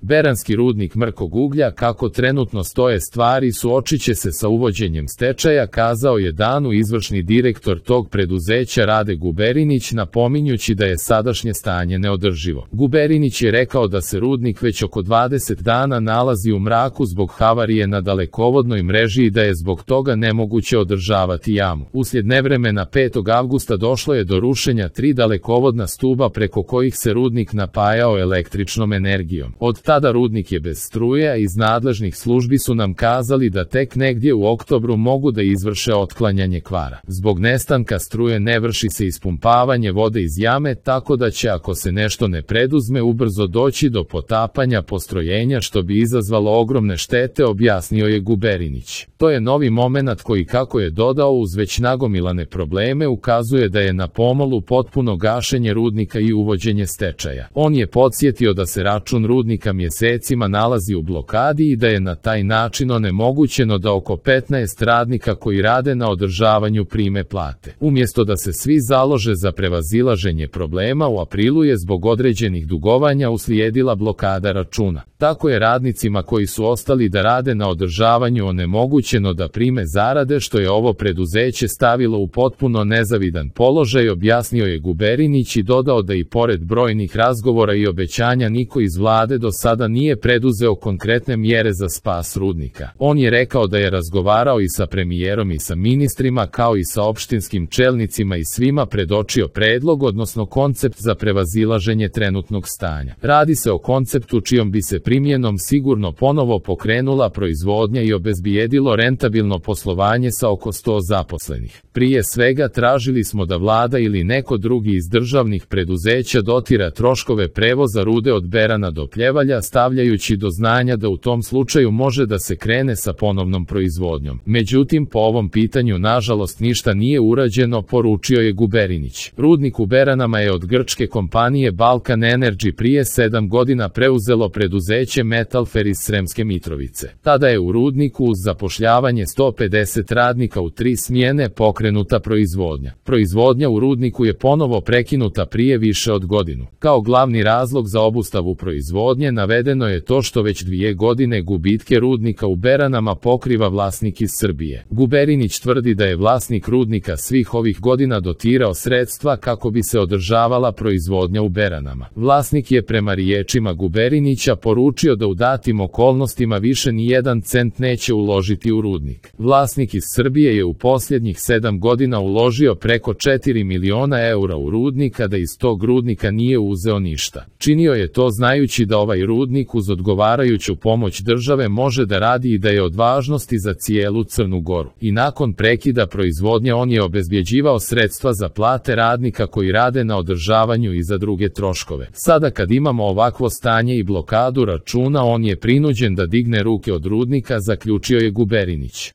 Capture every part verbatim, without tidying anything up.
Beranski rudnik mrkog uglja, kako trenutno stoje stvari, suočit će se sa uvođenjem stečaja, kazao je danu izvršni direktor tog preduzeća Rade Guberinić, napominjući da je sadašnje stanje neodrživo. Guberinić je rekao da se rudnik već oko dvadeset dana nalazi u mraku zbog havarije na dalekovodnoj mreži i da je zbog toga nemoguće održavati jamu. Uslijed nevremena petog avgusta došlo je do rušenja tri dalekovodna stuba preko kojih se rudnik napajao električnom energijom. Od tada rudnik je bez struje, a iz nadležnih službi su nam kazali da tek negdje u oktobru mogu da izvrše otklanjanje kvara. Zbog nestanka struje ne vrši se ispumpavanje vode iz jame, tako da će, ako se nešto ne preduzme, ubrzo doći do potapanja postrojenja, što bi izazvalo ogromne štete, objasnio je Guberinić. To je novi momenat koji, kako je dodao, uz već nagomilane probleme ukazuje da je na pomolu potpuno gašenje rudnika i uvođenje stečaja. On je podsjetio da se račun rudnika mjesecima nalazi u blokadi i da je na taj način onemogućeno da oko petnaest radnika koji rade na održavanju prime plate. Umjesto da se svi založe za prevazilaženje problema, u aprilu je zbog određenih dugovanja uslijedila blokada računa. Tako je radnicima koji su ostali da rade na održavanju onemogućeno da prime zarade, što je ovo preduzeće stavilo u potpuno nezavidan položaj, objasnio je Guberinić i dodao da i pored brojnih razgovora i obećanja niko iz vlade do sada nije preduzeo konkretne mjere za spas rudnika. On je rekao da je razgovarao i sa premijerom i sa ministrima, kao i sa opštinskim čelnicima, i svima predočio predlog, odnosno koncept za prevazilaženje trenutnog stanja. Radi se o konceptu čijom bi se primjenom sigurno ponovo pokrenula proizvodnja i obezbijedilo rentabilno poslovanje sa oko sto zaposlenih. Prije svega tražili smo da vlada ili neko drugi iz državnih preduzeća dotira troškove prevoza rude od Berana do Pljevalja, stavljajući do znanja da u tom slučaju može da se krene sa ponovnom proizvodnjom. Međutim, po ovom pitanju nažalost ništa nije urađeno, poručio je Guberinić. Rudnik u Beranama je od grčke kompanije Balkan Energy prije sedam godina preuzelo preduzeće Metalfer iz Sremske Mitrovice. Tada je u rudniku uz zapošljavanje sto pedeset radnika u tri smjene pokrenuta proizvodnja. Proizvodnja u rudniku je ponovo prekinuta prije više od godinu. Kao glavni razlog za obustavu proizvodnje navedeno je to što već dvije godine gubitke rudnika u Beranama pokriva vlasnik iz Srbije. Guberinić tvrdi da je vlasnik rudnika svih ovih godina dotirao sredstva kako bi se održavala proizvodnja u Beranama. Vlasnik je prema riječima Guberinića poručio da u datim okolnostima više ni jedan cent neće uložiti u rudnik. Vlasnik iz Srbije je u posljednjih sedam godina uložio preko četiri miliona eura u rudnik, a da iz tog rudnika nije uzeo ništa. Činio je to znajući da ovaj rudnik uz odgovarajuću pomoć države može da radi i da je od važnosti za cijelu Crnu Goru. I nakon prekida proizvodnje on je obezbjeđivao sredstva za plate radnika koji rade na održavanju i za druge troškove. Sada kad imamo ovakvo stanje i blokadu računa, on je prinuđen da digne ruke od rudnika, zaključio je Guberinić.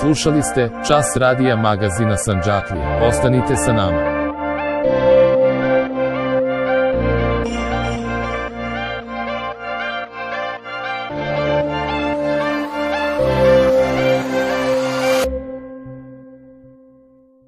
Slušali ste Čas radija magazina Sandžaklija. Ostanite sa nama.